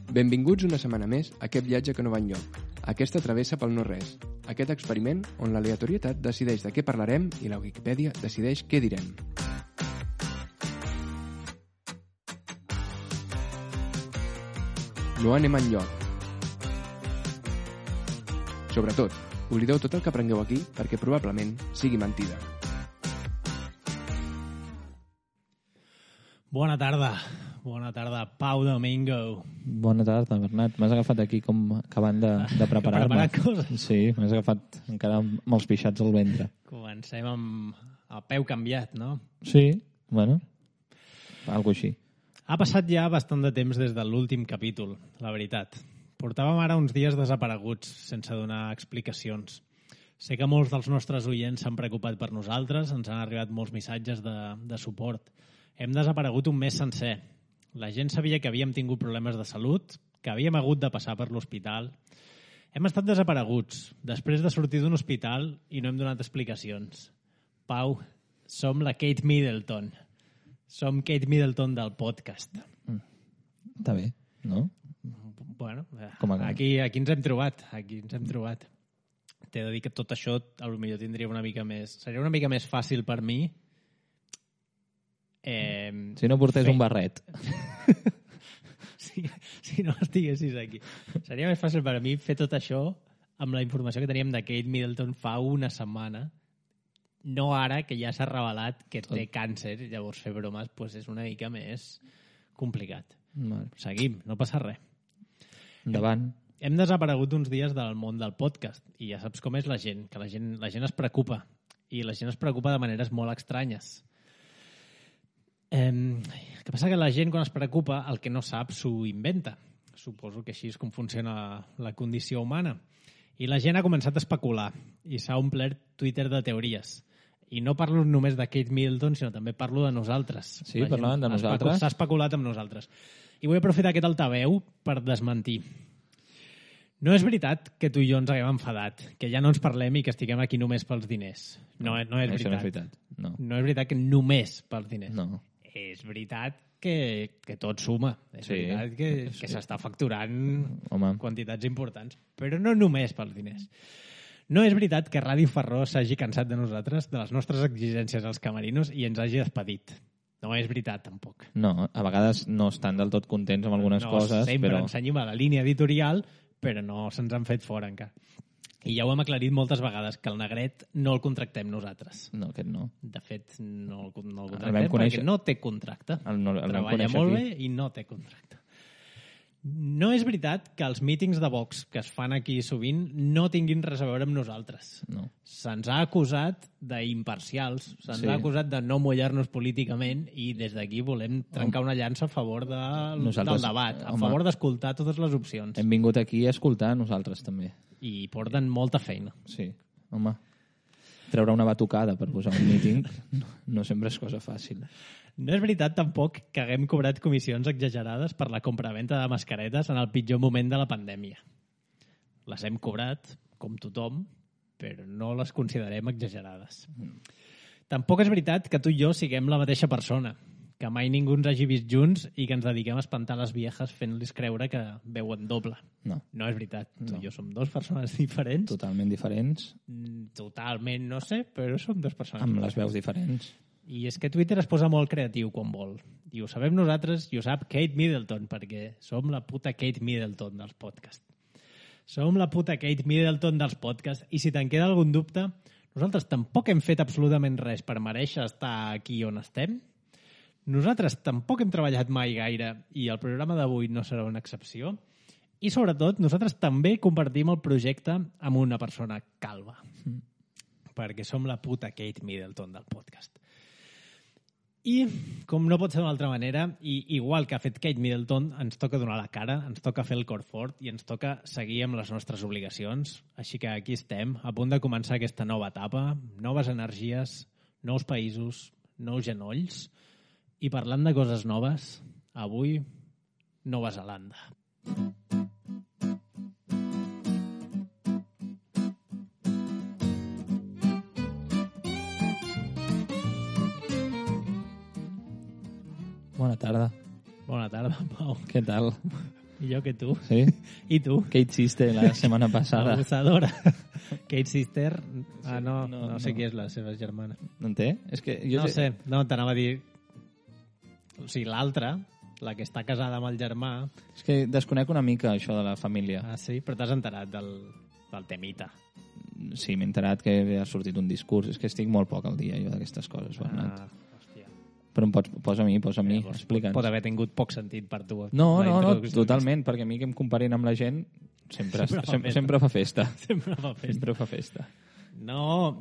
Benvinguts una setmana més a aquest viatge que no va enlloc, aquesta travessa pel no-res, aquest experiment on l'aleatorietat decideix de què parlarem i la Wikipedia decideix què direm. No anem enlloc. Sobretot, oblideu tot el que aprengueu aquí perquè probablement sigui mentida. Bona tarda, Pau Domingo. Bona tarda, Bernat. M'has agafat aquí com acabant de preparar-me. Preparar coses. Sí, m'has agafat encara amb els pixats al ventre. Comencem amb el peu canviat, no? Sí, bueno, algo així. Ha passat ja bastant de temps des de l'últim capítol, la veritat. Portàvem ara uns dies desapareguts, sense donar explicacions. Sé que molts dels nostres oients s'han preocupat per nosaltres, ens han arribat molts missatges de suport. Hem desaparegut un mes sencer. La gent sabia que havíem tingut problemes de salut, que havíem hagut de passar per l'hospital. Hem estat desapareguts, després de sortir d'un hospital i no hem donat explicacions. Pau, som la Kate Middleton. Som Kate Middleton del podcast. Està bé, no? Bueno, Com aquí ens hem trobat. T'he de dir que tot això potser tindria una mica més... Seria una mica més fàcil per mi. Si no portés un barret. Si no estiguessis aquí. Seria més fàcil per a mi fer tot això amb la informació que teníem de Kate Middleton fa una setmana. No ara, que ja s'ha revelat que té càncer, llavors fer bromes és una mica més complicat. Vale. Seguim, no passa res. Endavant. Hem desaparegut uns dies del món del podcast i ja saps com és la gent, que la gent es preocupa i la gent es preocupa de maneres molt estranyes. El que passa que la gent quan es preocupa el que no sap s'ho inventa. Suposo que així és com funciona la condició humana. I la gent ha començat a especular i s'ha omplert Twitter de teories. I no parlo només de Kate Middleton, sinó també parlo de nosaltres. Sí, parlaven de nosaltres? S'ha especulat amb nosaltres. I vull aprofitar aquest altaveu per desmentir. No és veritat que tu i jo ens haguem enfadat, que ja no ens parlem i que estiguem aquí només pels diners. No és veritat. Això no és veritat. No és veritat que només pels diners. No. És veritat que tot suma. És veritat que s'està facturant quantitats importants, però no només pels diners. No és veritat que Ràdio Ferró s'hagi cansat de nosaltres, de les nostres exigències als camerinos, i ens hagi despedit. No és veritat, tampoc. No, a vegades no estan del tot contents amb algunes coses, sempre però... ens seguim a la línia editorial, però no se'ns han fet fora encara. I ja ho hem aclarit moltes vegades, que el Negret no el contractem nosaltres. No, aquest no. De fet, no el contractem perquè no té contracte. Treballa molt bé i no té contracte. No és veritat que els mítings de Vox que es fan aquí sovint no tinguin res a veure amb nosaltres. No. Se'ns ha acusat d'imparcials, se'ns ha acusat de no mullar-nos políticament i des d'aquí volem trencar una llança a favor del debat, a favor d'escoltar totes les opcions. Hem vingut aquí a escoltar nosaltres també. I porten molta feina. Sí, home. Treure una batucada per posar un míting no sempre és cosa fàcil. No és veritat tampoc que haguem cobrat comissions exagerades per la compraventa de mascaretes en el pitjor moment de la pandèmia. Les hem cobrat, com tothom, però no les considerem exagerades. Tampoc és veritat que tu i jo siguem la mateixa persona, que mai ningú ens hagi vist junts i que ens dediquem a espantar les viejes fent-los creure que veuen doble. No és veritat. Tu i jo som dues persones diferents. Totalment diferents. Totalment, no sé, però som dues persones amb les veus diferents. I és que Twitter es posa molt creatiu quan vol. I ho sabem nosaltres i ho sap Kate Middleton, perquè som la puta Kate Middleton dels podcasts. Som la puta Kate Middleton dels podcasts i si te'n queda algun dubte, nosaltres tampoc hem fet absolutament res per mereixer estar aquí on estem. Nosaltres tampoc hem treballat mai gaire i el programa d'avui no serà una excepció. I sobretot, nosaltres també compartim el projecte amb una persona calva. Perquè som la puta Kate Middleton del podcast. I, com no pot ser d'una altra manera, i igual que ha fet Kate Middleton, ens toca donar la cara, ens toca fer el cor fort i ens toca seguir amb les nostres obligacions. Així que aquí estem, a punt de començar aquesta nova etapa, noves energies, nous països, nous genolls, i parlant de coses noves, avui, Nova Zelanda. Bona tarda. Bona tarda, Pau. Què tal? Millor que tu. Sí? I tu? Kate Sister la setmana passada. Abusadora. Kate Sister. Ah, no sé no. qui és la seva germana. No en té? És que jo No sé, no, t'anava a dir... O sigui, l'altra, la que està casada amb el germà... És que desconec una mica això de la família. Ah, sí? Però t'has enterat del temita. Sí, m'he enterat que ha sortit un discurs. És que estic molt poc al dia, jo, d'aquestes coses, Bernat. Hòstia. Però em posa a mi, explica'ns. Pot haver tingut poc sentit per tu. No, la introducció totalment, perquè a mi que em comparin amb la gent sempre fa festa. Sempre fa festa. Sempre fa festa. No,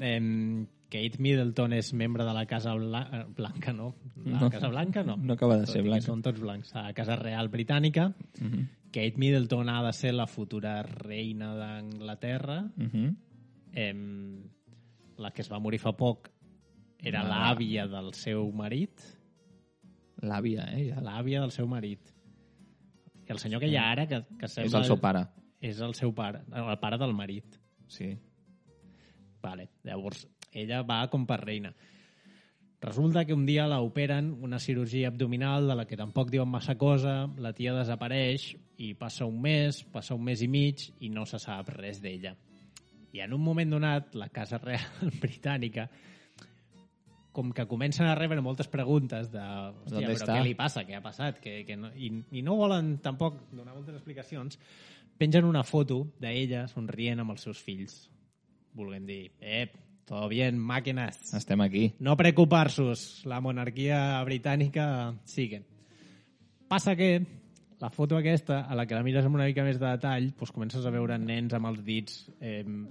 Kate Middleton és membre de la Casa Blanca, no? La Casa Blanca, no. No acaba de ser blanca. Són tots blancs. A la Casa Real Britànica, Kate Middleton ha de ser la futura reina d'Anglaterra. La que es va morir fa poc era l'àvia del seu marit. L'àvia, ja. L'àvia del seu marit. I el senyor que hi ha ara, que sembla... És el seu pare. És el seu pare, el pare del marit. Sí. Vale. Llavors, ella va com per reina. Resulta que un dia l'operen una cirurgia abdominal de la que tampoc diuen massa cosa, la tia desapareix i passa un mes i mig i no se sap res d'ella. I en un moment donat, la Casa Real Britànica, com que comencen a rebre moltes preguntes de hòstia, però què li passa, què ha passat, que no, i no volen tampoc donar moltes explicacions, pengen una foto d'ella somrient amb els seus fills, volent dir, todo bien, máquinas. Estem aquí. No preocupar-vos, la monarquia britànica sigue. Passa que la foto aquesta, a la que la mires amb una mica més de detall, doncs comences a veure nens amb els dits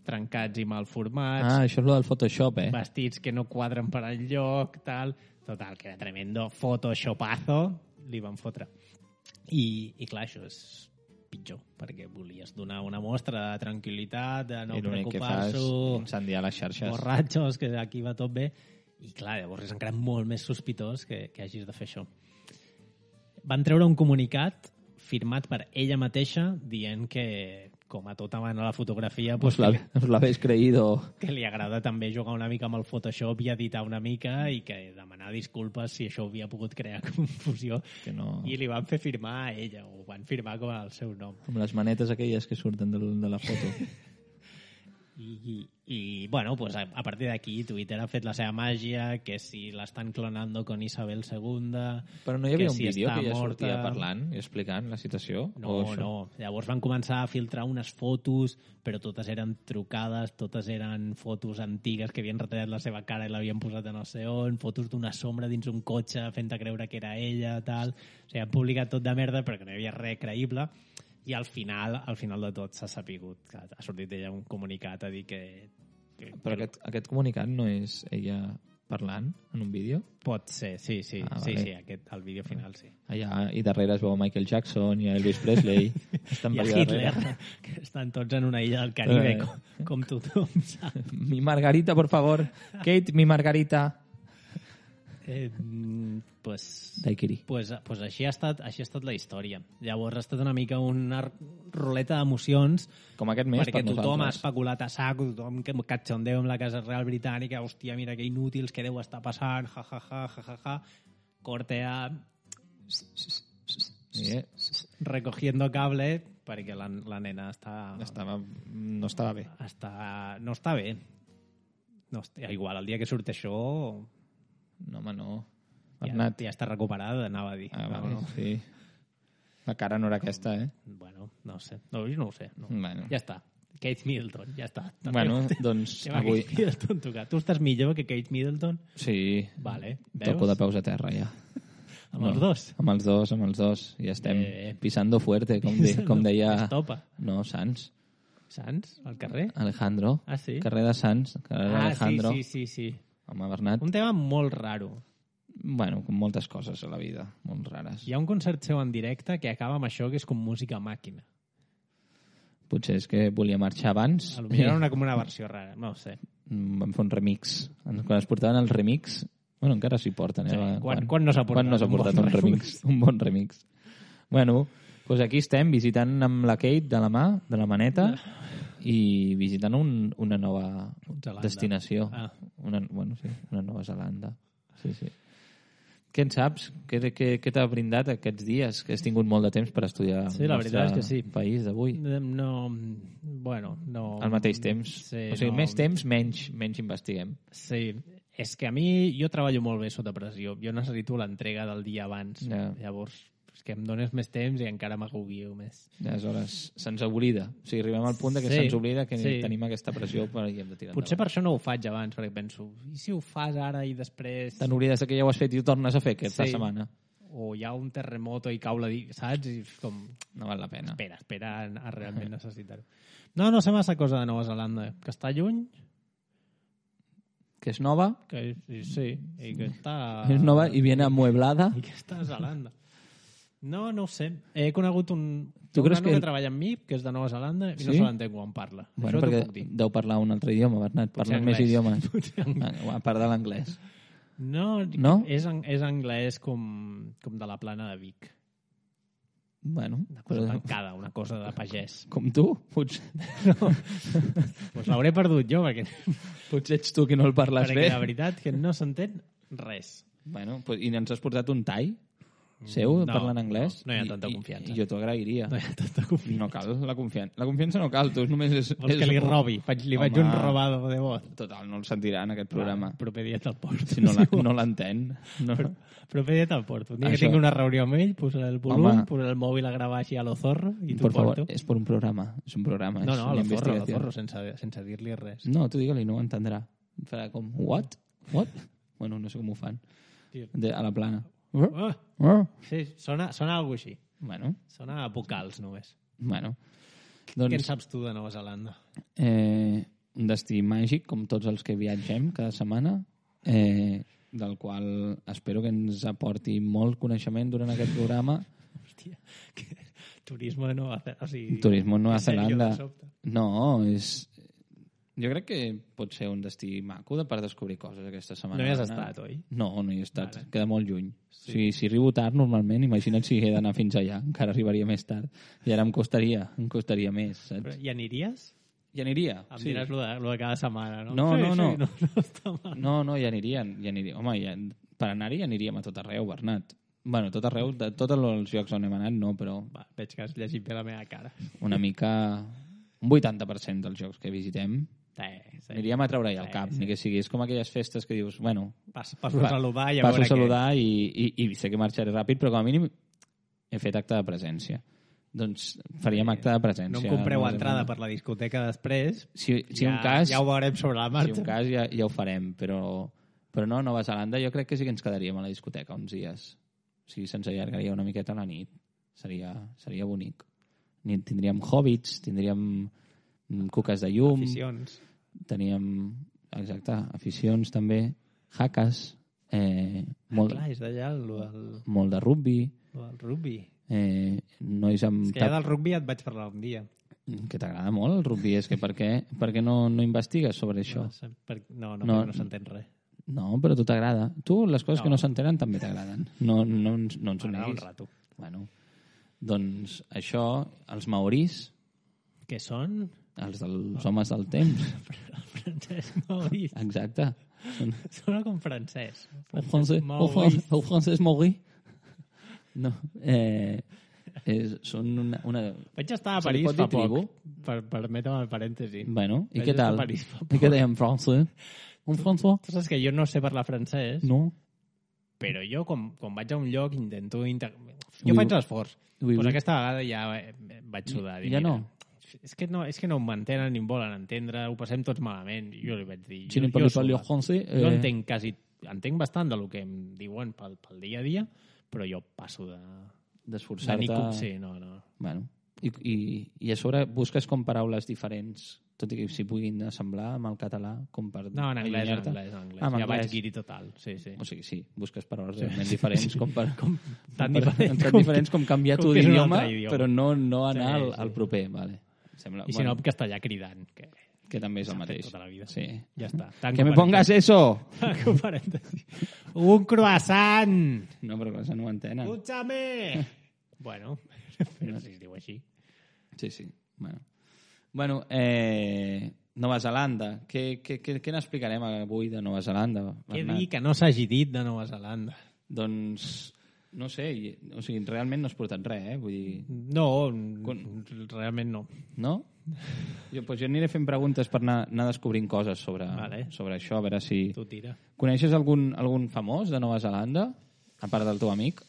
trencats i mal formats. Ah, això és el del Photoshop, Vestits que no quadren per enlloc, tal. Total, que era tremendo photoshopazo, li van fotre. I clar, això és pitjor, perquè volies donar una mostra de tranquil·litat, de no preocupar-se, incendiar les xarxes, borratxos, que aquí va tot bé, i clar, llavors és encara molt més sospitós que hagis de fer això. Van treure un comunicat firmat per ella mateixa dient que, com a tota mano la fotografia, us l'habéis creído, que li agrada també jugar una mica amb el Photoshop i editar una mica i que demanar disculpes si això havia pogut crear confusió, que no... i li van fer firmar a ella, o van firmar com el seu nom. Com les manetes aquelles que surten de la foto. I bueno, pues a partir d'aquí Twitter ha fet la seva màgia, que si l'estan clonando con Isabel II... Però no hi havia un si vídeo que ja morta... sortia parlant i explicant la situació? No. Llavors van començar a filtrar unes fotos, però totes eren trucades, totes eren fotos antigues que havien retallat la seva cara i l'havien posat a no sé on, fotos d'una sombra dins un cotxe fent-te creure que era ella, tal... O sigui, han publicat tot de merda perquè no hi havia res creïble. I al final de tot s'ha sapigut que ha sortit ella un comunicat a dir que... Però aquest comunicat no és ella parlant en un vídeo? Pot ser, sí. Vale. Sí, el vídeo final, sí. Allà, i darrere es veu Michael Jackson i Elvis Presley. I a Hitler, que estan tots en una illa del Caribe, com tothom sap. Mi Margarita, por favor. Kate, mi Margarita. Daiquiri. Pues així ha estat la història. Llavors ha estat una mica una ruleta d'emocions, com aquest mes perquè per tothom ha nosaltres. especulat a saco, tothom que catxondeu amb la Casa Real Britànica, hòstia, mira que inútils, que deu estar passant, ja. Corte a... recogiendo cable, perquè la nena no estava bé. No està bé. No, igual, el dia que surt això... No, home, no. Ja està recuperada, anava a dir. Vale, no. Sí. La cara no era aquesta, Bueno, no sé. No, jo no ho sé. No. Bueno. Ja està. Kate Middleton, ja està. Bueno, doncs avui... Kate Middleton tocar. Tu estàs millor que Kate Middleton? Sí. Vale. Veus? Topo de peus a terra, ja. Amb els dos? Amb els dos. Ja estem pisando fuerte, com deia... Estopa. No, Sants. Sants? Al carrer? Alejandro. Ah, sí? Carrer de Sants. Carrer d'Alejandro. Sí. Home, Bernat. Un tema molt raro. Bueno, com moltes coses a la vida, molt rares. Hi ha un concert seu en directe que acaba amb això, que és com música màquina. Potser és que volia marxar abans. Potser era com una versió rara, no ho sé. Vam fer un remix. Quan es portaven el remix... Bueno, encara s'hi porten, Sí. Quan no s'ha portat un remix? Un bon remix. Bueno, doncs aquí estem, visitant amb la Kate de la mà, de la maneta, i visitant una nova destinació. Ah. Una Nova Zelanda. Sí. Què en saps? Què t'ha brindat aquests dies? Que has tingut molt de temps per estudiar Sí, la veritat és que sí. País d'avui. No... Bueno, no... Al mateix temps. Sí, o sigui, no... més temps, menys investiguem. Sí, és que a mi jo treballo molt bé sota pressió. Jo necessito l'entrega del dia abans. Ja. Llavors, és que em dones més temps i encara m'agobio més. Aleshores, se'ns oblida. O sigui, arribem al punt de que Sí, se'ns oblida que sí. tenim aquesta pressió i hem de tirar Potser endavant. per això no ho faig abans, perquè penso, i si ho fas ara i després... Te n'oblides que ja ho has fet i ho tornes a fer aquesta setmana. O hi ha un terremoto i cau saps? I és com... No val la pena. Espera a realment necessitar-ho. No sé massa cosa de Nova Zelanda, que està lluny, Que és nova, que sí, i que està... és nova i viene amueblada. I que està a Zelanda. No ho sé. He conegut un creus nano que- que treballa amb mi, que és de Nova Zelanda, i no Sí? se l'entenc quan parla. Bueno, Això t'ho perquè puc dir. deu parlar un altre idioma, Bernat. Parlen més anglès. idiomes. Potser anglès. A part de l'anglès. No? És anglès com de la plana de Vic. Bueno, Una cosa tancada, una cosa de pagès. com tu, potser Pues l'hauré perdut jo, perquè ets tu qui no el parles bé. la veritat que no s'entén res. Bueno, pues, i ens has portat un tai seu parlant anglès? no hi ha tanta confiança. I jo t'ho agrairia. No hi ha tanta confiança. No cal la confiança. La confiança no cal, tu només és... Vols que li robi? Li faig un robado de voz. Total, no el sentirà en aquest programa. Proper dia te'l porto. Si no l'entén. No. Proper dia te'l porto. Un dia que Això- tingui una reunió amb ell, posaré el volum, Home. posaré el mòbil a gravar així a lo zorro i t'ho Por favor, porto. és per un programa. És un programa. No, és a una lo zorro, investigació. sense dir-li res. No, tu digue-li, no ho entendrà. Farà com, what? What? Bueno, no sé com ho fan. A la plana. Sí, sona algo així. Bueno, Sona a vocals, només. bueno. Què en Doncs, saps tu de Nova Zelanda? un destí màgic, com tots els que viatgem cada setmana, del qual espero que ens aporti molt coneixement durant aquest programa. Hòstia, turisme de Nova Zelanda. O sigui, Turisme en Nova en sèrio, Zelanda. de sobte. No, és... Jo crec que pot ser un destí maco per descobrir coses aquesta setmana. No hi has Bernat. estat, oi? No hi he estat. Vale. Queda molt lluny. Sí. Si arribo tard, normalment, imagina't si he d'anar fins allà. Encara arribaria més tard. I ara em costaria més, saps? Però hi aniríes? Hi aniria. Em diràs lo de cada setmana, no? No, Sí, no. no està mal. No, hi aniria. Home, per anar-hi aniríem a tot arreu, Bernat. Bueno, tot arreu, de tots els llocs on hem anat, no, però Va, veig que has llegit bé la meva cara. una mica... Un 80% dels llocs que visitem Sí. aniríem a treure-hi al cap, ni que siguis com aquelles festes que dius, bueno, Passo a saludar i a passo veure a saludar i sé que marxaré ràpid, però com a mínim he fet acte de presència. Doncs faríem acte de què. presència. No em compreu entrada per la discoteca després. Si ja, un cas, ja ho veurem sobre la si marxa. un cas ja ho farem, però no, a Nova Zelanda jo crec que sí que ens quedaríem a la discoteca uns dies. O sigui, se'ns allargaria una miqueta la nit. Seria bonic. Tindríem hobbits, tindríem cuques de llum, Aficions. teníem, exacte, aficions també, hackes, molt, Clar, és d'allà el molt de rugby, del rugby. nois amb... És que ja del rugby ja et vaig parlar un dia. Que t'agrada molt el rugby, és que per què no investigues sobre això? No s'entén res. No, però a tu t'agrada. Tu, les coses que no s'entenen també t'agraden. No ens ho M'agrada un neguis. rato. Bueno, doncs això, els maoris, Què són? els dels homes del temps, Francesc Mauri. exacte. Sona com francès. El francès maori. No, són una... Vaig estar a Se li París pot fa dir tribu? poc. Permetem el parèntesi. Bueno, i Vaig què estar tal? a París fa I què dèiem, François? Un François? Tu saps que jo no sé parlar francès, No. però jo, quan vaig a un lloc, intento... Jo Ui, faig l'esforç. ui, Pues ui. aquesta vegada ja vaig sudar. Ja no? És que no m'entenen ni em volen entendre, ho passem tots malament. Jo li vaig dir... Si no jo parlo sudo. français... Jo entenc bastant del que em diuen pel dia a dia, però jo passo de d'esforçar-te... Sí, no. Bueno, i a sobre busques com paraules diferents, tot i que s'hi puguin assemblar amb el català, com per No, en anglès, allunyar-te. Ah, en ja vaig anglès. guiri total, sí. O sigui, sí, busques paraules realment diferents com per... Tan diferents com canviar tu com que és un d'idioma, altre idioma. però no anar Sí, al proper, vale. Sembla, I si no, en castellà cridant, que també és el s'ha fet mateix. tota la vida. Sí. Ja està. Que me pongas eso! Tanco parèntesi. Un croissant! No, però això no ho entenen. Escúchame! Bueno, però si es diu així. Sí. Bueno, Nova Zelanda. Què n'explicarem avui de Nova Zelanda? Què Bernat? dir que no s'hagi dit de Nova Zelanda? Doncs, no sé, o sigui, realment no has portat res, Vull dir... No, realment no. No? Jo aniré fent preguntes per anar descobrint coses sobre això, a veure si... Tu tira. Coneixes algun famós de Nova Zelanda, a part del teu amic?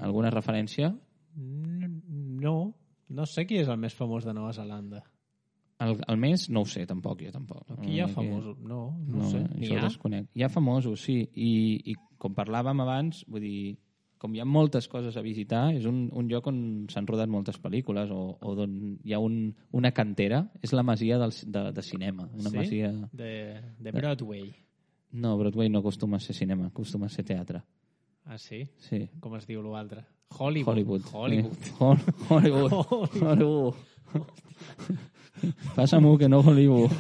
Alguna referència? No sé qui és el més famós de Nova Zelanda. El més no ho sé, tampoc, jo tampoc. Aquí hi ha famosos? No sé. N'hi ha? Desconec. Hi ha famosos, sí. I com parlàvem abans, vull dir, com hi ha moltes coses a visitar, és un lloc on s'han rodat moltes pel·lícules o on hi ha una cantera. És la masia de cinema. Una masia... De Broadway. No, Broadway no acostuma a ser cinema, acostuma a ser teatre. Ah, sí? Sí. Com es diu l'altre? Hollywood. Passa-m'ho que no Hollywood.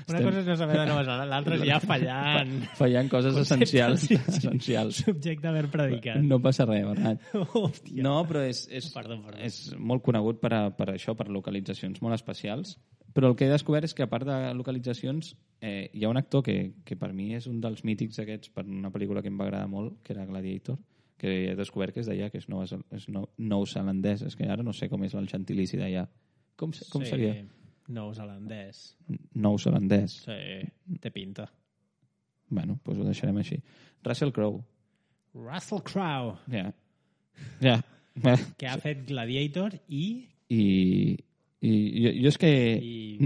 Una cosa és no saber de Nova Zelanda, l'altra és ja fallant. Fallant coses essencials. Subjecte a haver predicat. No passa res, Bernat. Hòstia. No, però és molt conegut per això, per localitzacions molt especials. Però el que he descobert és que, a part de localitzacions, hi ha un actor que per mi és un dels mítics aquests per una pel·lícula que em va agradar molt, que era Gladiator, que he descobert que és d'allà, que és neozelandès. És que ara no sé com és el gentilici d'allà. Com seria? Neozelandès. Neozelandès. Sí, té pinta. Bueno, doncs ho deixarem així. Russell Crowe. Russell Crowe. Ja. Que ha fet Gladiator i jo és que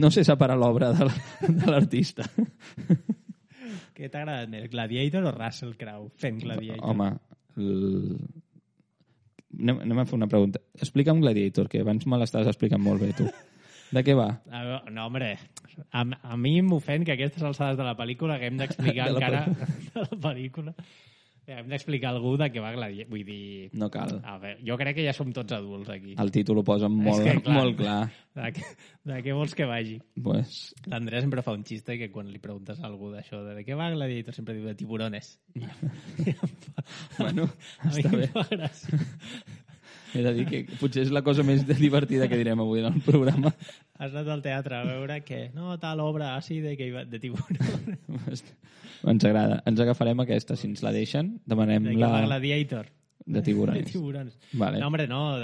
no sé separar l'obra de l'artista. Què t'ha agradat més, Gladiator o Russell Crowe fent Gladiator? Home, anem a fer una pregunta. Explica'm Gladiator, que abans me l'estaves explicant molt bé, tu. De què va? No, home, a mi m'ofèn que a aquestes alçades de la pel·lícula haguem d'explicar encara de la pel·lícula. Hem d'explicar a algú de què va Gladiator. Vull dir... No cal. A veure, jo crec que ja som tots adults aquí. El títol ho posa molt clar. De què vols que vagi? Pues... L'Andrea sempre fa un xiste que quan li preguntes a algú d'això de què va Gladiator sempre diu de tiburones. Bueno, està bé. Fa gràcia. He de dir que potser és la cosa més divertida que direm avui en el programa. Has anat al teatre a veure que no, tal obra així de tiburones. Ens agrada. Ens agafarem aquesta. Si ens la deixen, demanem de la... Gladiator. De tiburones. De tiburones. Vale. No, hombre, no,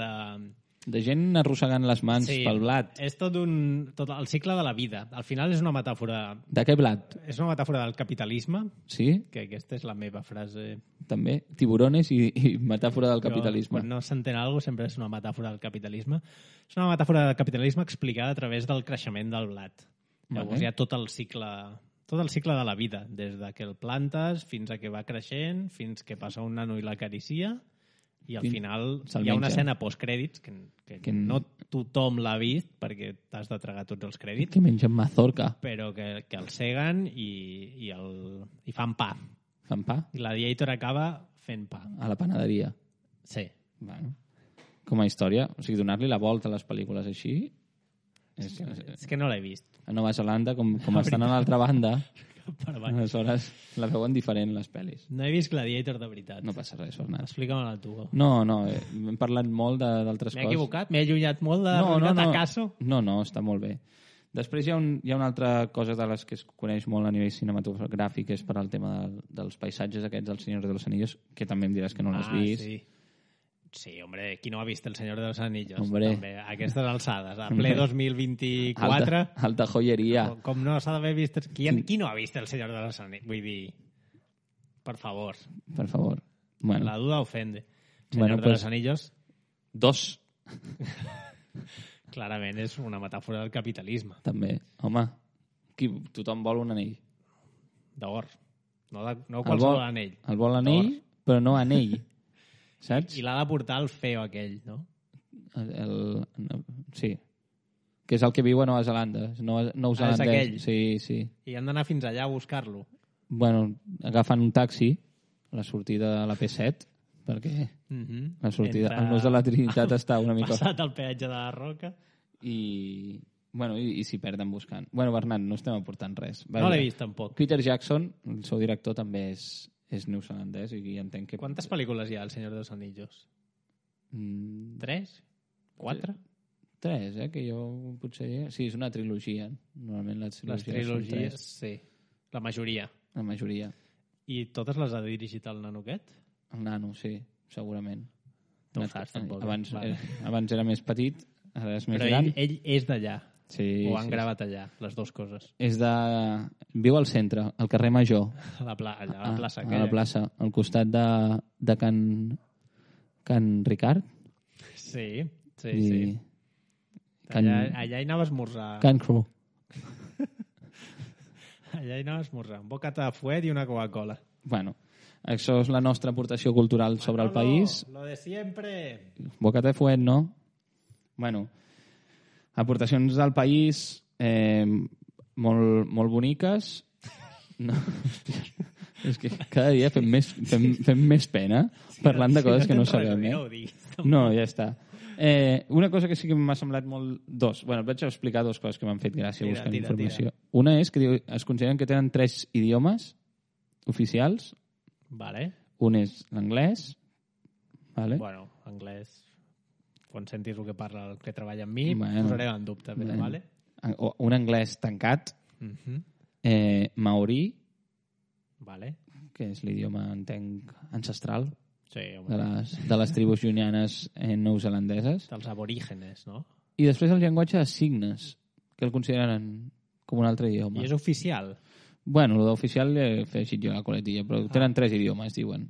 de gent arrossegant les mans pel blat. És tot el cicle de la vida. Al final és una metàfora... De què blat? És una metàfora del capitalisme. Sí? Que aquesta és la meva frase. També. Tiburones i metàfora del capitalisme. Quan no s'entén alguna cosa sempre és una metàfora del capitalisme. És una metàfora del capitalisme explicada a través del creixement del blat. Llavors hi ha tot el cicle de la vida, des de que el plantes fins a que va creixent, fins que passa un nano i l'acaricia, i al final hi ha una escena postcrèdits que no tothom l'ha vist perquè t'has de tragar tots els crèdits. Que mengen mazorca. Però que el seguen i fan pa. Fan pa? I Gladiator acaba fent pa. A la panaderia. Sí. Bueno, com a història, o sigui, donar-li la volta a les pel·lícules així... És que no l'he vist. A Nova Zelanda, com estan a l'altra banda, aleshores la veuen diferent, les pel·lis. No he vist Gladiator de veritat. No passa res, Bernat. Explica-me-la tu. No, hem parlat molt d'altres coses. M'he equivocat? M'he allunyat molt de la realitat acaso? No, està molt bé. Després hi ha una altra cosa de les que es coneix molt a nivell cinematogràfic, és per al tema dels paisatges aquests del Senyor de los Anillos, que també em diràs que no l'has vist. Sí, hombre, qui no ha vist El Senyor de los Anillos? Hombre. També, a aquestes alçades, a ple 2024... Alta joieria. Com no s'ha d'haver vist... Qui no ha vist El Senyor de los Anillos? Vull dir, per favor. Per favor. Bueno. La duda ofende. Senyor de los Anillos... 2. Clarament és una metàfora del capitalisme. També. Home, tothom vol un anell. D'or. No qualsevol anell. El vol anell, però no anell. Saps? I l'ha de portar el feo aquell, no? Sí. Que és el que viu a Nova Zelanda. És aquell? Sí. I han d'anar fins allà a buscar-lo. Bueno, agafant un taxi a la sortida de la P7, perquè la sortida, el nus de la Trinitat està una mica... Passat el peatge de la Roca. I s'hi perden buscant. Bueno, Bernat, no estem aportant res. No l'he vist, tampoc. Peter Jackson, el seu director, també és neozelandès i entenc que... Quantes pel·lícules hi ha al Senyor de los Anillos? 3? 4? 3, que jo potser... Sí, és una trilogia. Normalment les trilogies són 3. Sí. La majoria. La majoria. I totes les ha dirigit el nano aquest? El nano, sí, segurament. No ho saps, tampoc. Abans era més petit, ara és més gran. Però ell és d'allà. Sí, o han gravat allà, les dues coses. Viu al centre, al carrer Major. A la plaça. A la plaça, al costat de Can Ricard. Sí. I... Allà hi anava a esmorzar. Can Cru. Allà hi anava a esmorzar. Un bocata de fuet i una Coca-Cola. Bueno, això és la nostra aportació cultural sobre el país. Lo de siempre. Bocata de fuet, no? Bueno, aportacions del país molt boniques. No, és que cada dia fem més pena parlant de coses que no sabem. No, ja està. Una cosa que sí que m'ha semblat molt... Bueno, vaig explicar 2 coses que m'han fet gràcia buscant informació. Una és que es consideren que tenen 3 idiomes oficials. Vale. Un és l'anglès. Vale. Bueno, anglès... Quan sentis el que parla el que treballa amb mi, posarem en dubte. Però, vale. Un anglès tancat. Maori. Vale. Que és l'idioma, entenc, ancestral. Sí, de les tribus llunianes neozelandeses. Dels aborígenes, no? I després el llenguatge de signes, que el consideren com un altre idioma. I és oficial? Bueno, el d'oficial he afegit jo la coletilla, però tenen 3 idiomes, diuen.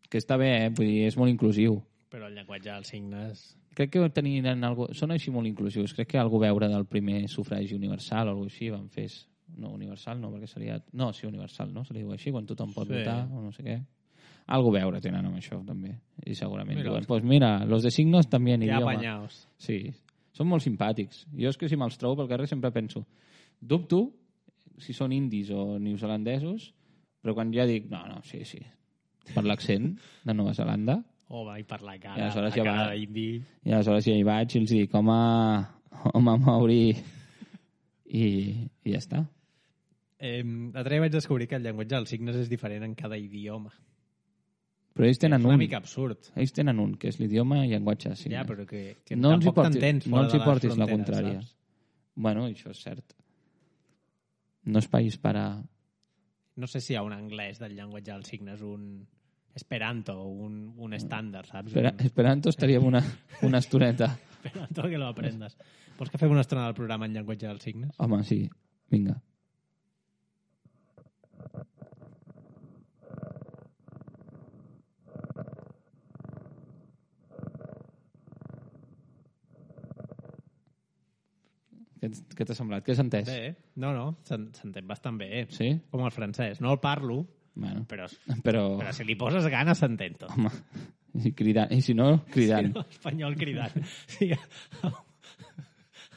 Que està bé, vull dir, és molt inclusiu. Però el llenguatge dels signes... Crec que tenien algo... Són així molt inclusius. Crec que algo veure del primer sufragi universal o alguna així van fer... No, universal no, perquè seria... No, sí, universal, no? Se li diu així, quan tothom pot votar o no sé què. Algo veure tenen amb això, també. I segurament diuen, pues mira, los de signos també en idioma. Ja apanyaos. Sí, són molt simpàtics. Jo és que si me'ls trobo pel carrer sempre penso, dubto si són indis o neozelandesos, però quan ja dic, no, sí, per l'accent de Nova Zelanda... Home, i per la cara d'indi... I aleshores ja hi vaig i els dic, home, Mauri... I ja està. L'altre dia vaig descobrir que el llenguatge dels signes és diferent en cada idioma. Però ells tenen és una mica absurd. Ells tenen un, que és l'idioma i llenguatge de signes. Ja, però que no tampoc t'entens fora de les fronteres. No els hi portis la contrària. Saps? Bueno, això és cert. No és país per a... No sé si hi ha un anglès del llenguatge dels signes, un esperanto, un estàndard, saps? Esperanto estaria una estoneta. Esperanto que lo aprendes. Vols que fem una estona del programa en llenguatge dels signes? Home, sí. Vinga. Què t'ha semblat? Què has entès? Bé, no, s'entén bastant bé. Sí? Com el francès. No el parlo, bueno, però si li poses ganes s'entén tot. Home, i si no, cridant. Sí, no, espanyol cridant. Sí,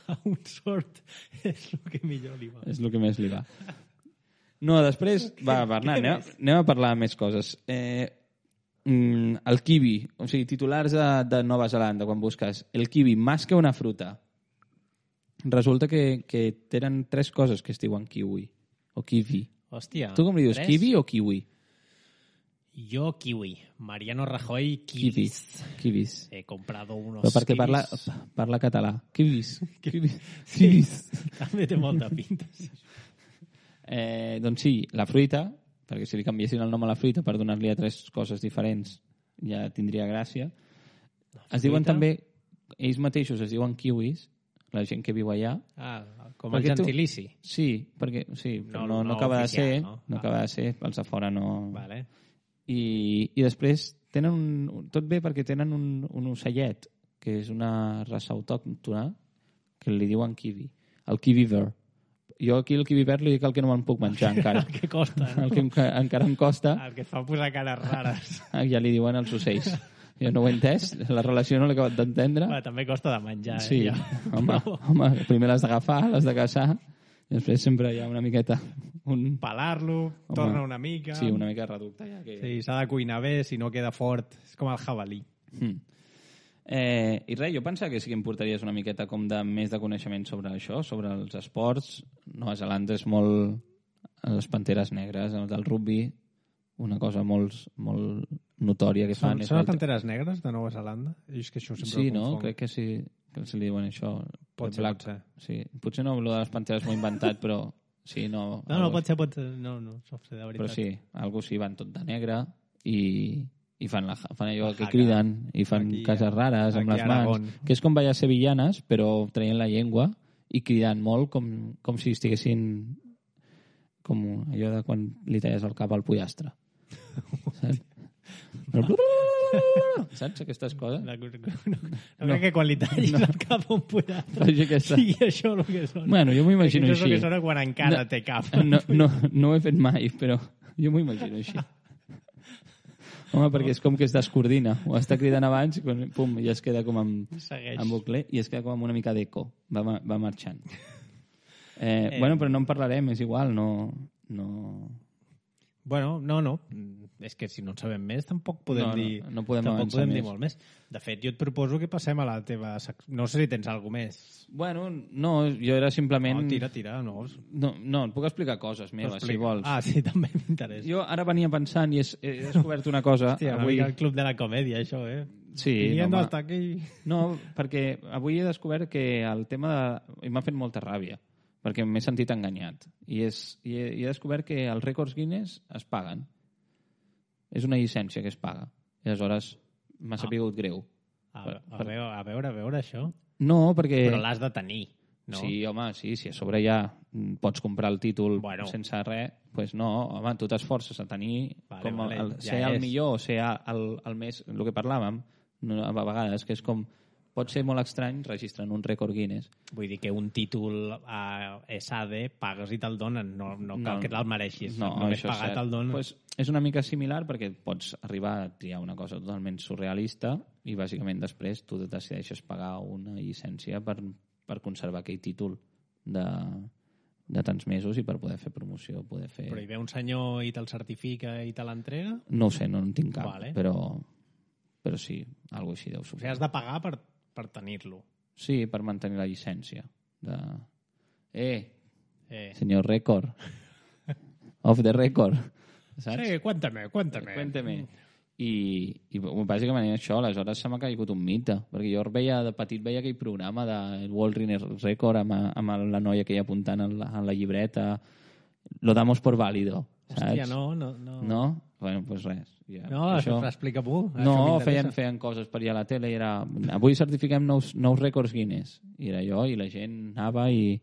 a un sort és el que millor li va. És el que més li va. No, després, va, Bernat, anem a parlar més coses. El kiwi, o sigui, titulars de Nova Zelanda, quan busques el kiwi, més que una fruta, resulta que tenen 3 coses que es diuen kiwi, o kiwi. Hòstia. Tu com li dius, 3? Kiwi o kiwi? Jo kiwi. Mariano Rajoy, kiwis. Kiwis. He comprado unos però perquè kiwis. Parla català. Kiwis. Kiwis. També té molta pinta. Doncs sí, la fruita, perquè si li canviessin el nom a la fruita per donar-li a 3 coses diferents ja tindria gràcia. Es diuen també, ells mateixos es diuen kiwis, la gent que viu allà. Com el gentilici. Sí, perquè no acaba de ser, no acaba de ser, els de fora no... Vale. I després tenen tot bé perquè tenen un ocellet, que és una raça autòctona, que li diuen kiwi. El kiwi verd. Jo aquí el kiwi verd li dic el que no me'n puc menjar encara. El que costa, no? El que encara em costa. El que et fa posar cares rares. Ja li diuen els ocells. Jo no ho he entès, la relació no l'he acabat d'entendre. També costa de menjar. Sí, home, primer l'has d'agafar, l'has de caçar, i després sempre hi ha una miqueta... Pelar-lo, torna una mica... Sí, una mica reducte. Ja que... Sí, s'ha de cuinar bé, si no queda fort. És com el jabalí. I res, jo pensava que sí que em portaries una miqueta com de més de coneixement sobre això, sobre els esports. Nova Zelanda és molt... Les panteres negres, del rugby, una cosa molt notòria que fan. Són les panteres negres de Nova Zelanda? És que això sempre sí, no? Crec que sí. que se li diuen això. Pot ser, pot ser. Sí. Potser no, lo de les panteres m'ho he inventat, però sí, no... No, pot ser. No, pot ser, de veritat. Però sí, algú sí, van tot de negre i fan allò que criden i fan aquí, cases rares amb les mans, que és com ballar sevillanes, però traient la llengua i cridant molt com si estiguessin com allò de quan li talles el cap al pollastre. Saps? Saps aquestes coses? No crec que quan li tallis el cap a un pollastre sigui això el que sona. Bueno, jo m'ho imagino així. així. És el que sona quan encara té cap. No ho he fet mai, però jo m'ho imagino així. Home, perquè és com que es descoordina. Ho està cridant abans i pum, ja es queda com amb bucle i es queda com amb una mica d'eco. Va marxant. Bueno, però no en parlarem, és igual, no... Bueno, no. És que si no en sabem més tampoc podem dir... No podem avançar dir molt més. De fet, jo et proposo que passem a la teva... No sé si tens alguna més. Bueno, no, jo era simplement... No, tira, no. No, et puc explicar coses meves, si vols. Ah, sí, també m'interessa. Jo ara venia pensant i he descobert una cosa... Hòstia, avui... el club de la comèdia, això, eh? Sí, Viniendo hasta aquí... No, perquè avui he descobert que el tema de... I m'ha fet molta ràbia, perquè m'he sentit enganyat. I he descobert que els rècords Guinness es paguen. És una llicència que es paga. I aleshores m'ha sapigut greu. A veure, això. No, perquè... Però l'has de tenir, no? Sí, home, sí, si a sobre ja pots comprar el títol sense res, doncs no, home, tu t'esforces a tenir ser el millor o ser el més... El que parlàvem, a vegades, que és com... Pot ser molt estrany registrar un rècord Guinness. Vull dir que un títol a SAD pagues i te'l donen, no cal que te'l mereixis. No, només pagar te'l donen. Pues és una mica similar perquè pots arribar a triar una cosa totalment surrealista i bàsicament després tu decideixes pagar una llicència per conservar aquell títol de tants mesos i per poder fer promoció. Però hi ve un senyor i te'l certifica i te l'entrega? No ho sé, no en tinc cap, però sí, alguna així deu ser. O sigui, has de pagar per tenir-lo. Sí, per mantenir la llicència. Senyor rècord. Off the record. Saps? Sí, cuéntame. I bàsicament això, aleshores se m'ha caigut un mite, perquè jo de petit veia aquell programa de World Record amb la noia que hi apuntant en la llibreta, lo damos por válido. Hòstia, saps? no. No? Bueno, doncs res. Ja. No, això explica-m'ho. No, feien coses per allà a la tele i era... Avui certifiquem nous rècords Guinness. I era jo, i la gent anava i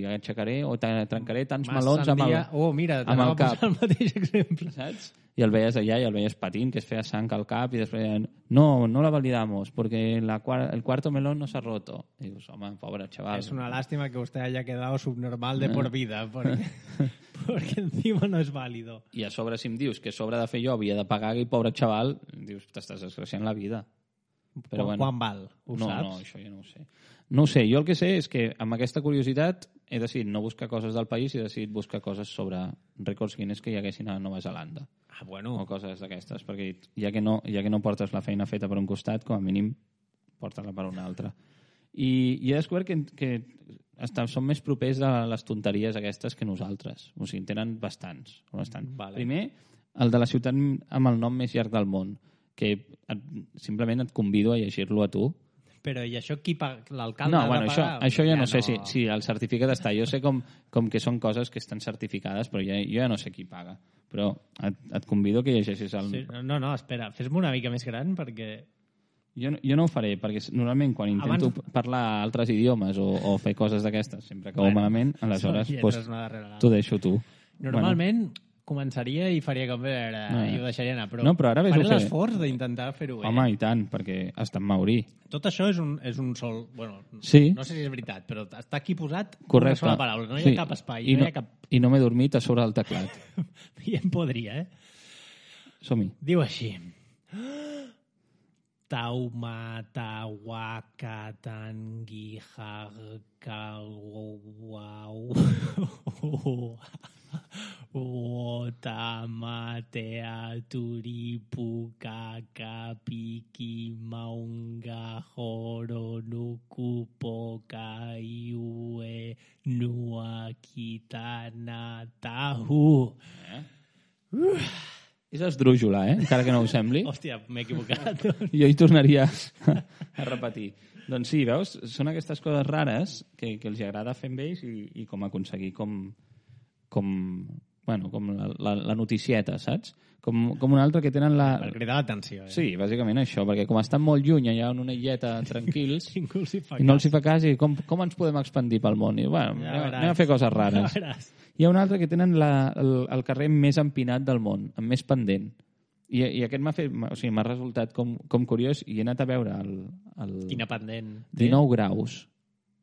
aixecaré o trencaré tants melons amb el cap. Oh, mira, t'anava a posar el mateix exemple. Saps? I el veies allà i el veies patint, que es feia sang al cap i després deien, no la validamos porque el cuarto melón no se ha roto. I dius, home, pobre chaval. Es una lástima que usted haya quedado subnormal de por vida porque encima no es válido. I a sobre si em dius que a sobre de fer jo havia de pagar aquell pobre xaval, dius, t'estàs desgraciant la vida. Però quan val? Ho saps? No, això jo no ho sé. No ho sé, jo el que sé és que amb aquesta curiositat he decidit no buscar coses del país i he decidit buscar coses sobre rècords Guinness que hi haguessin a Nova Zelanda. Ah, bueno. O coses d'aquestes, perquè ja que no portes la feina feta per un costat, com a mínim porta-la per un altre. I he descobert que són més propers a les tonteries aquestes que nosaltres. O sigui, en tenen bastants. Vale. Primer, el de la ciutat amb el nom més llarg del món, que simplement et convido a llegir-lo a tu. Però i això qui paga? L'alcalde ha de pagar? Això ja no sé si el certificat està. Jo sé com que són coses que estan certificades, però jo ja no sé qui paga. Però et convido que llegeixis el... Sí, no, espera, fes-me una mica més gran perquè... Jo no ho faré, perquè normalment quan intento parlar altres idiomes o fer coses d'aquestes, sempre acabo malament, aleshores t'ho deixo tu. Normalment començaria i faria com i ho deixaria anar, però ara faré l'esforç d'intentar fer-ho bé. Home, i tant, perquè està en maurí. Tot això és un sol... Bueno, sí. No sé si és veritat, però està aquí posat correcte. Una sola paraula, no hi ha cap espai. I no m'he dormit a sobre el teclat. I em podria, Som-hi. Diu així... Taumatawakatangihakalwau Otamatea turipukakapiki maunga horonukupoka iue nuakitanatahu. És esdrújula, encara que no ho sembli. Hòstia, m'he equivocat. Jo hi tornaria a repetir. Doncs sí, veus? Són aquestes coses rares que els agrada fer amb ells i com aconseguir com la noticieta, saps? Com una altra que tenen la... Per cridar l'atenció. Sí, bàsicament això, perquè com estan molt lluny allà en una illeta tranquils Ningú els hi fa i no els hi fa cas i com ens podem expandir pel món? I, bueno, anem a fer coses rares. Hi ha una altra que tenen el carrer més empinat del món, amb més pendent. I aquest m'ha resultat com curiós i he anat a veure el Quina pendent. 19 graus.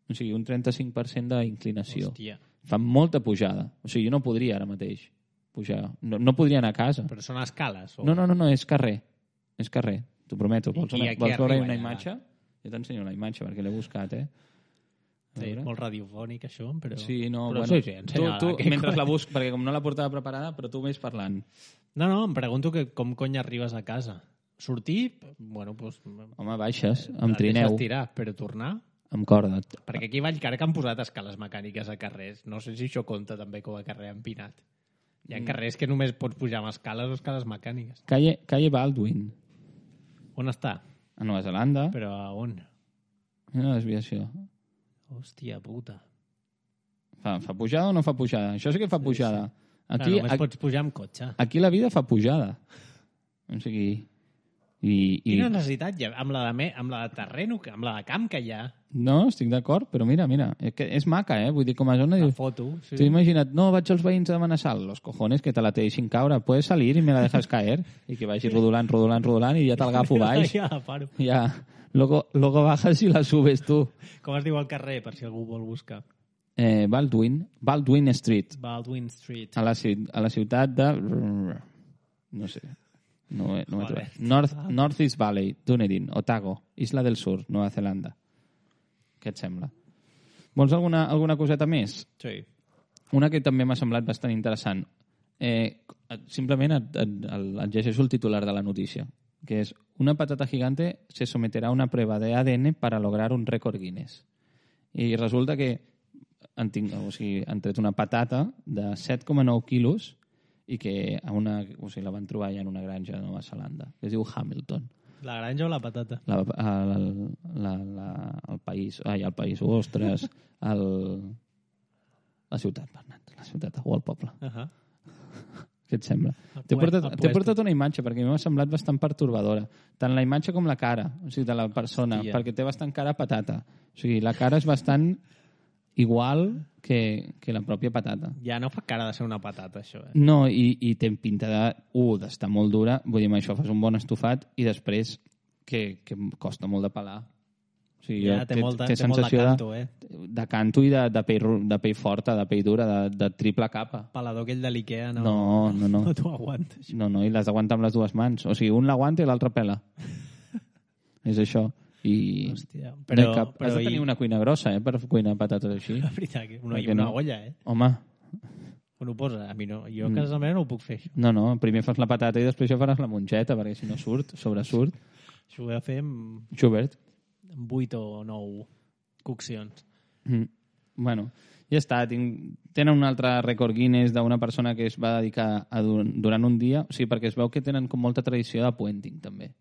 O sigui, un 35% d'inclinació. Hòstia. Fa molta pujada. O sigui, jo no podria ara mateix pujar. No podria anar a casa. Però són escales? O... No, és carrer. És carrer, t'ho prometo. Vols veure una allà? imatge? Jo t'ensenyo la imatge perquè l'he buscat, Sí, molt radiofònic, això, però... Sí, no, però bueno, sí, tu mentre la busc, perquè com no la portava preparada, però tu vés parlant. No, em pregunto com cony arribes a casa. Sortir, bueno, doncs... Home, baixes, amb et trineu, deixes tirar, però tornar... amb corda. Perquè aquí a Vallcarca han posat escales mecàniques a carrers. No sé si això compta també com a carrer empinat. Hi ha carrers que només pots pujar amb escales o escales mecàniques. Calle Baldwin, On està? a Nova Zelanda. Però a on? Una desviació. Hòstia puta. Fa pujada o no fa pujada? Això sí que fa pujada. Aquí, Només pots pujar amb cotxe. aquí la vida fa pujada. O sigui... Quina necessitat hi ha? Amb la de terreno, amb la de camp que hi ha. No, estic d'acord, però mira, és maca, Vull dir, com a zona... La foto. Sí. T'ho imagina't, no, vaig als veïns a demanar sal. Los cojones, que te la te deixin caure. Puedes salir y me la dejas caer. I que vagi rodolant i ja t'agafo baix. Ja la paro. Ja. Luego bajas y la subes tu. Com es diu el carrer, per si algú vol buscar? Baldwin Street. Baldwin Street. A la ciutat de... No sé. No he trobat. North East Valley, Dunedin, Otago, Isla del Sur, Nova Zelanda. Què et sembla? Vols alguna coseta més? Sí. Una que també m'ha semblat bastant interessant. Simplement et llegeixo el titular de la notícia, que és: una patata gigante se someterá a una prueba de ADN para lograr un récord Guinness. I resulta que han tret una patata de 7,9 quilos i que la van trobar ja en una granja de Nova Zelanda, que es diu Hamilton. La granja o la patata? El país, ostres, la ciutat, Bernat, la ciutat o el poble. Què et sembla? T'he portat una imatge perquè m'ha semblat bastant pertorbadora. Tant la imatge com la cara, o sigui, de la persona, perquè té bastant cara patata. O sigui, la cara és bastant igual que la pròpia patata. Ja no fa cara de ser una patata, això. No, i té pinta d'estar molt dura. Vull dir, amb això fas un bon estofat i després que costa molt de pelar. O sigui, ja, té molt de canto, de canto i de pell forta, de pell dura, de triple capa. Pelador aquell de l'Ikea no t'ho aguantes. No, i l'has d'aguantar amb les dues mans. O sigui, un l'aguanta i l'altre pela. És això. Hòstia, però has de tenir una cuina grossa, per cuinar patates així. La veritat, una olla, Home. On ho posa? A mi no. Jo a casa meva no ho puc fer, això. No, primer fas la patata i després ja faràs la mongeta, perquè si no sobresurt. Això ho he de fer amb... Schubert. Amb 8 o 9 coccions. Bueno, ja està. Tenen un altre rècord Guinness d'una persona que es va dedicar durant un dia, o sigui, perquè es veu que tenen com molta tradició de puenting, també.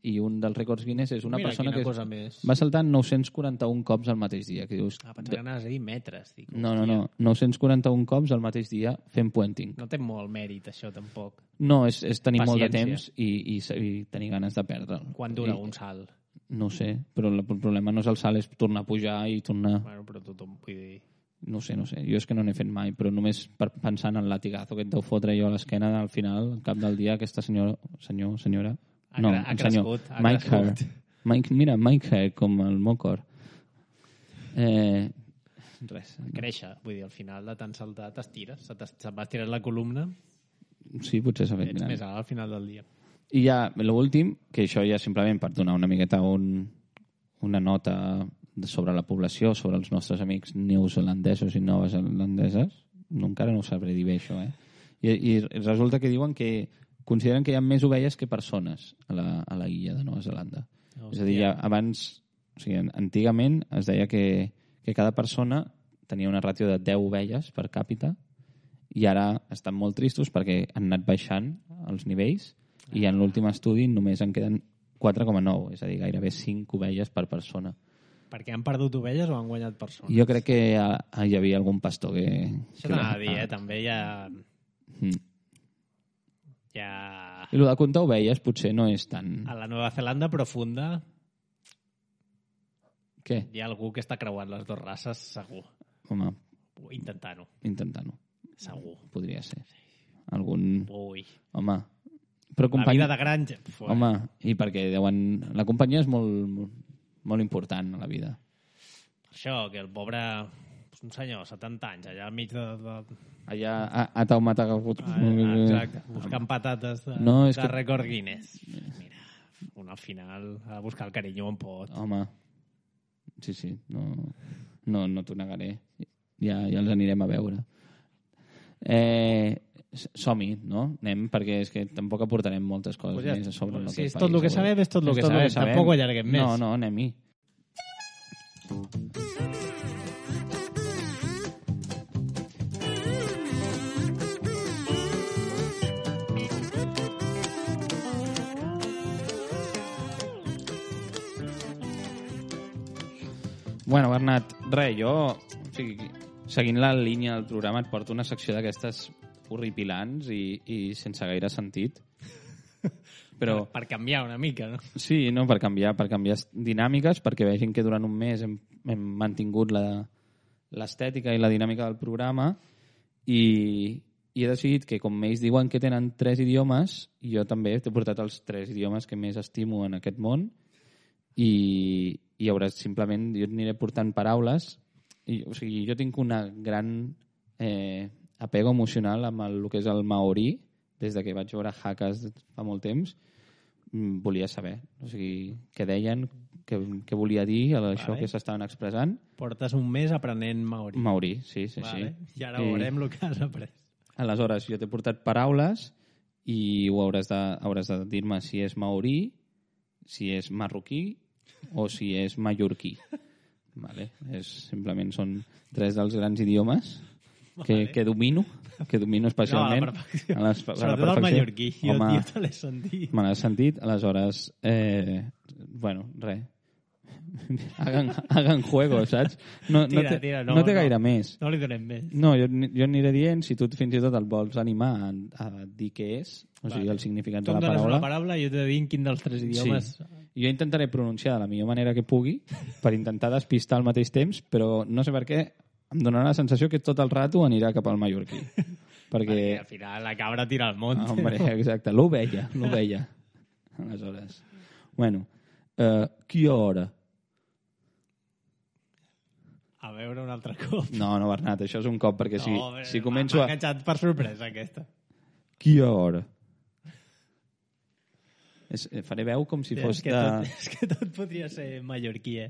I un dels rècords Guinness és una persona que va saltar 941 cops al mateix dia. Que dius, pensava que anaves a dir metres. Dic, no, 941 cops al mateix dia fent puenting. No té molt mèrit, això, tampoc. No, és tenir molt de temps i tenir ganes de perdre'l. Quan dura un salt? No sé, però el problema no és el salt, és tornar a pujar i tornar... Bueno, però tothom, vull dir... No sé. Jo és que no n'he fet mai, però només pensant en el latigazo que et deu fotre jo a l'esquena, al final, al cap del dia, aquesta senyora... Ha crescut. Mira, Mike Hare, com el Mocor. Res. Créixer. Vull dir, al final de tant saltar t'estires. Se't va estirar la columna. Sí, potser s'ha fet gran. Ets més alt al final del dia. I ja, l'últim, que això ja simplement per donar una miqueta una nota sobre la població, sobre els nostres amics neozelandesos i novezelandeses. Encara no ho sabré dir bé, això, I resulta que diuen que consideren que hi ha més ovelles que persones a la illa de Nova Zelanda. És a dir, abans, o sigui, antigament es deia que cada persona tenia una ràtio de 10 ovelles per càpita i ara estan molt tristos perquè han anat baixant els nivells i en l'últim estudi només en queden 4,9, és a dir, gairebé 5 ovelles per persona. Perquè han perdut ovelles o han guanyat persones? Jo crec que hi havia algun pastor que... Això t'anava a dir, també hi ha... I el de comptar ovelles potser no és tan... A la Nova Zelanda profunda Què? hi ha algú que està creuant les dues races, segur. Home, Intentant-ho. Segur. podria ser. Algun... Ui. Home, però La vida de granja. Home, i perquè deuen... La companyia és molt important a la vida. Això, que el pobre... Un senyor, 70 anys, allà al mig de... Allà a Taumatagut. Exacte, buscant patates de rècord Guinness. Mira, un al final ha de buscar el carinyo on pot. Home, sí, no t'ho negaré. Ja els anirem a veure. Som-hi, no? Anem, perquè és que tampoc aportarem moltes coses Pues ja, més a sobre. si és tot el que sabem, és tot el que sabem. Tampoc ho allarguem més. No, anem-hi. Bueno, Bernat, res, jo, seguint la línia del programa, et porto una secció d'aquestes horripilants i sense gaire sentit. Però... Per canviar una mica, no? Sí, no, per canviar dinàmiques, perquè vegin que durant un mes hem mantingut l'estètica i la dinàmica del programa i he decidit que, com ells diuen que tenen 3 idiomes, jo també t'he portat els 3 idiomes que més estimo en aquest món i hauràs simplement... Jo et aniré portant paraules. O sigui, jo tinc una gran apego emocional amb el que és el maorí. Des de que vaig veure Hackers fa molt temps, volia saber. O sigui, què deien, què volia dir, això que s'estaven expressant. Portes un mes aprenent maorí. Maorí, sí. I ara veurem el que has après. Aleshores, jo t'he portat paraules i hauràs de dir-me si és maorí, si és marroquí o si és mallorquí. Vale? Simplement són 3 dels grans idiomes que domino especialment. No, a la perfecció. Sobretot el mallorquí. Jo te l'he sentit. Me l'he sentit. Aleshores, bueno, res. Hagan juego, saps? No té gaire més. No li donem més. No, jo aniré dient, si tu fins i tot el vols animar a dir què és, o sigui, el significat de la paraula. Tu em dones una paraula i jo t'he de dir quin dels 3 idiomes... Sí. Jo intentaré pronunciar de la millor manera que pugui per intentar despistar al mateix temps, però no sé per què em donarà la sensació que tot el rato anirà cap al mallorquí. Perquè al final la cabra tira al món. Hombre, exacte, l'ovella. Aleshores, bueno, quina hora? A veure un altre cop. No, Bernat, això és un cop, perquè si començo m'ha enganxat per sorpresa, aquesta. Quina hora? Faré veu com si fos de... És que tot podria ser mallorquí,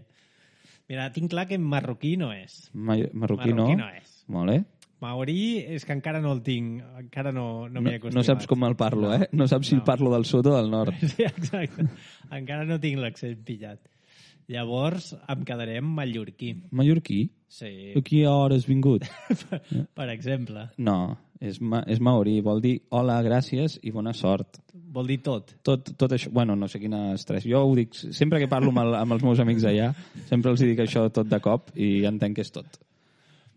Mira, tinc clar que marroquí no és. Marroquí no és. Molt bé. Maorí és que encara no el tinc, encara no m'hi he acostumat. No saps com el parlo, No saps si parlo del sud o del nord. Sí, exacte. Encara no tinc l'accent pillat. Llavors em quedaré amb mallorquí. Mallorquí? Sí. A quina hora has vingut? Per exemple. No, és maorí. Vol dir hola, gràcies i bona sort. Vol dir tot. Tot això. Bueno, no sé quines 3. Jo ho dic, sempre que parlo amb els meus amics allà, sempre els dic això tot de cop i entenc que és tot.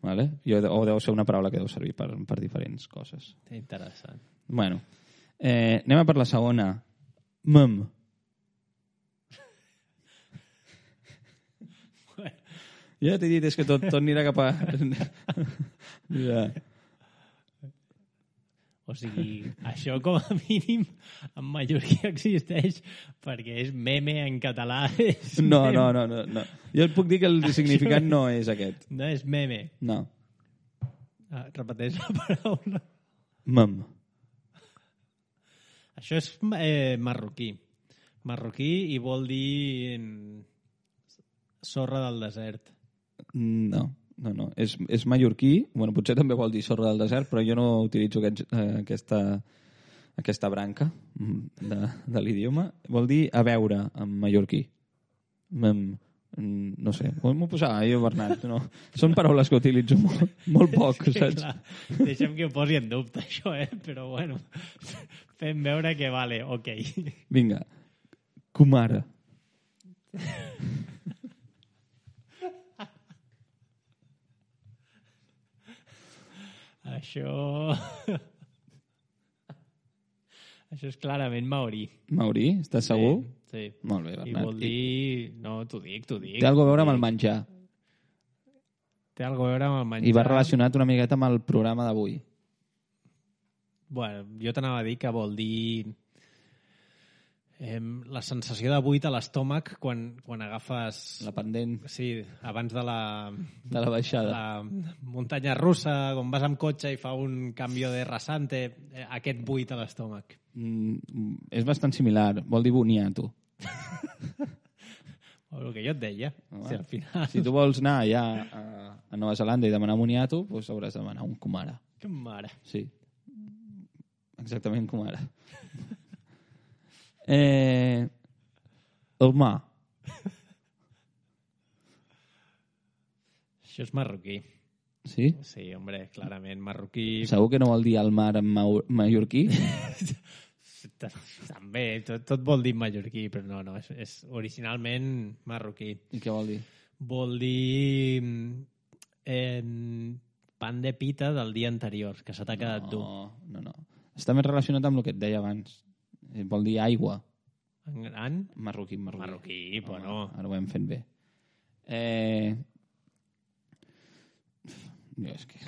Vale? O deu ser una paraula que deu servir per diferents coses. Interessant. Bueno, anem a per la segona. Mem. Ja t'he dit, és que tot anirà cap a... Ja. O sigui, això com a mínim en mallorquí existeix perquè és meme en català. No. Jo et puc dir que el significat no és aquest. No és meme. No. Repeteix la paraula. Mem. Això és marroquí. Marroquí i vol dir sorra del desert. No. És mallorquí. Bueno, potser també vol dir sorra del desert, però jo no utilitzo aquesta branca de l'idioma. Vol dir a veure en mallorquí. No sé, m'ho posava jo, Bernat. No. Són paraules que utilitzo molt poc, saps? Clar, deixa'm que ho posi en dubte, això, però bueno, fem veure que vale, ok. Vinga, Kumara. Això... Això és clarament maorí. Maorí, estàs segur? Sí. Molt bé, I Bernat. vol dir... No, t'ho dic. Té alguna a veure amb el menjar. Té alguna a veure amb el menjar. I va relacionat una miqueta amb el programa d'avui. Bueno, jo t'anava a dir que vol dir la sensació de buit a l'estómac quan agafes... La pendent Sí, abans de la baixada. la muntanya russa, quan vas amb cotxe i fa un canvi de rasante, aquest buit a l'estómac. És bastant similar. Vol dir boniato. El que jo et deia. Si al final... Si tu vols anar allà a Nova Zelanda i demanar boniato, doncs hauràs de demanar un Kumara. Que mare. Sí. Exactament Kumara. El mà. Això és marroquí. Sí? Sí, hombre, clarament marroquí. Segur que no vol dir el mar en mallorquí? També, tot vol dir mallorquí, però no, és originalment marroquí. I què vol dir? Vol dir pan de pita del dia anterior, que se t'ha quedat dur. No. Està més relacionat amb el que et deia abans. Vol dir aigua. En? Marroquí. Marroquí, però no. Ara ho hem fet bé. És que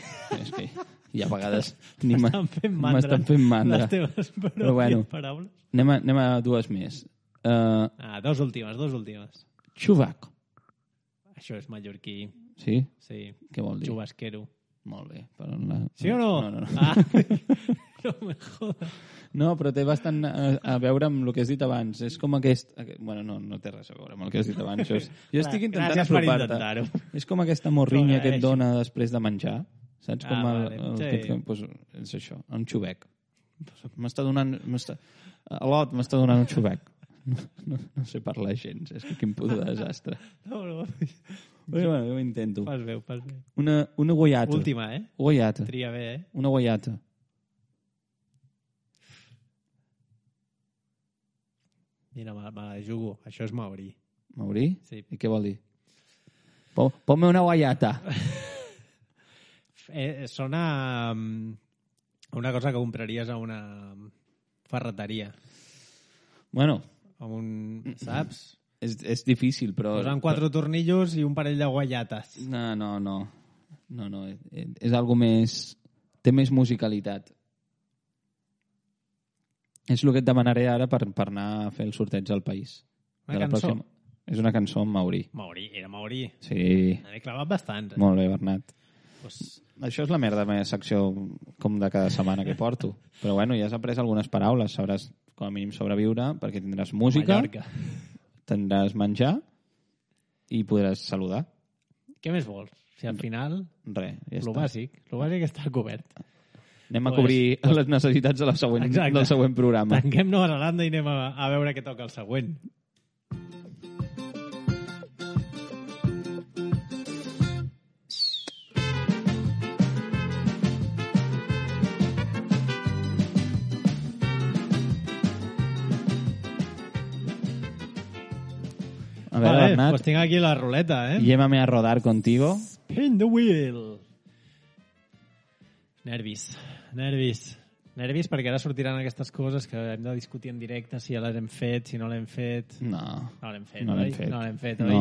hi ha vegades... M'estan fent mandra. M'estan fent mandra. Les teves Però bueno, paraules. Anem a dues més. Dos últimes. Xubac. Això és mallorquí. Sí? Sí. Què vol dir? Xubasquero. Molt bé. Sí o no? No. Ah, no me jodas. No, però té bastant a veure amb el que has dit abans. És com aquest... Bueno, no té res a veure amb el que has dit abans. Jo estic intentant Gràcies per apropar-te. intentar-ho. És com aquesta morrinya que et agraeixo. dona després de menjar. Saps? Com vale. Sí. pues, és això, un xubec. M'està donant... Lot m'està donant un xubec. No sé parlar gens. És que quin puto desastre. No. Però bueno, jo ho intento. Fas bé. Una guaiata. Última, Guaiata. Tria bé, Una guaiata. Mira, me la jugo. Això és maorí. Maorí? Sí. I què vol dir? Ponme una guaiata. Sona una cosa que compraries a una ferreteria. Bueno. Saps? És difícil, però... Posen 4 tornillos i un parell de guaiates. No. És algo més... Té més musicalitat. És el que et demanaré ara per anar a fer el sorteig al país. Una cançó? És una cançó en maorí. Era maorí. Sí. N'he clavat bastant. Molt bé, Bernat. Pues... Això és la merda de la meva secció com de cada setmana que porto. Però bueno, ja has après algunes paraules. Sabràs com a mínim sobreviure perquè tindràs música, Mallorca. tindràs menjar i podràs saludar. Què més vols? Si al final... Res, ja Lo està. bàsic està cobert. Anem a cobrir les necessitats de del següent programa. Tanquem Nova Zelanda i anem a veure què toca el següent. A veure, Bernat, Pues tinc aquí la ruleta, llévame a rodar contigo. Spin the wheel. Nervis perquè ara sortiran aquestes coses que hem de discutir en directe, si ja les hem fet, si no l'hem fet. No. No l'hem fet, No oi? l'hem fet. No l'hem fet, No. oi?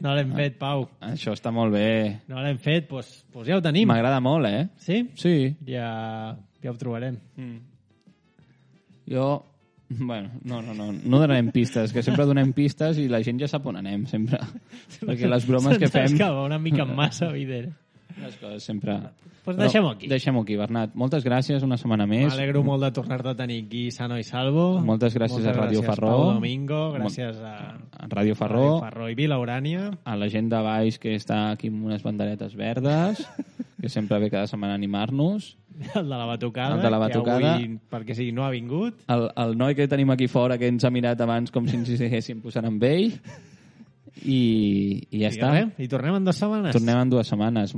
No l'hem fet, Pau. Això està molt bé. No l'hem fet, doncs ja ho tenim. M'agrada molt, Sí? Sí. Ja ho trobarem. Jo... Bueno, no donarem pistes, que sempre donem pistes i la gent ja sap on anem, sempre. Perquè les bromes que fem... Se'ns escapa una mica massa, evident. Les coses sempre... Pues deixem-ho aquí. Deixem-ho aquí, Bernat. Moltes gràcies, una setmana més. M'alegro molt de tornar-te a tenir aquí sano i salvo. Moltes gràcies a Ràdio Farró. Pau Domingo, gràcies a Ràdio Farró. Farró i Vila Urània. A la gent de baix que està aquí amb unes banderetes verdes, que sempre ve cada setmana a animar-nos. El de la batucada. El de la batucada. Que avui, perquè sí, no ha vingut. El noi que tenim aquí fora, que ens ha mirat abans com si ens hi estiguéssim posant amb ell. I ja està. I tornem en 2 setmanes. Tornem en 2 setmanes.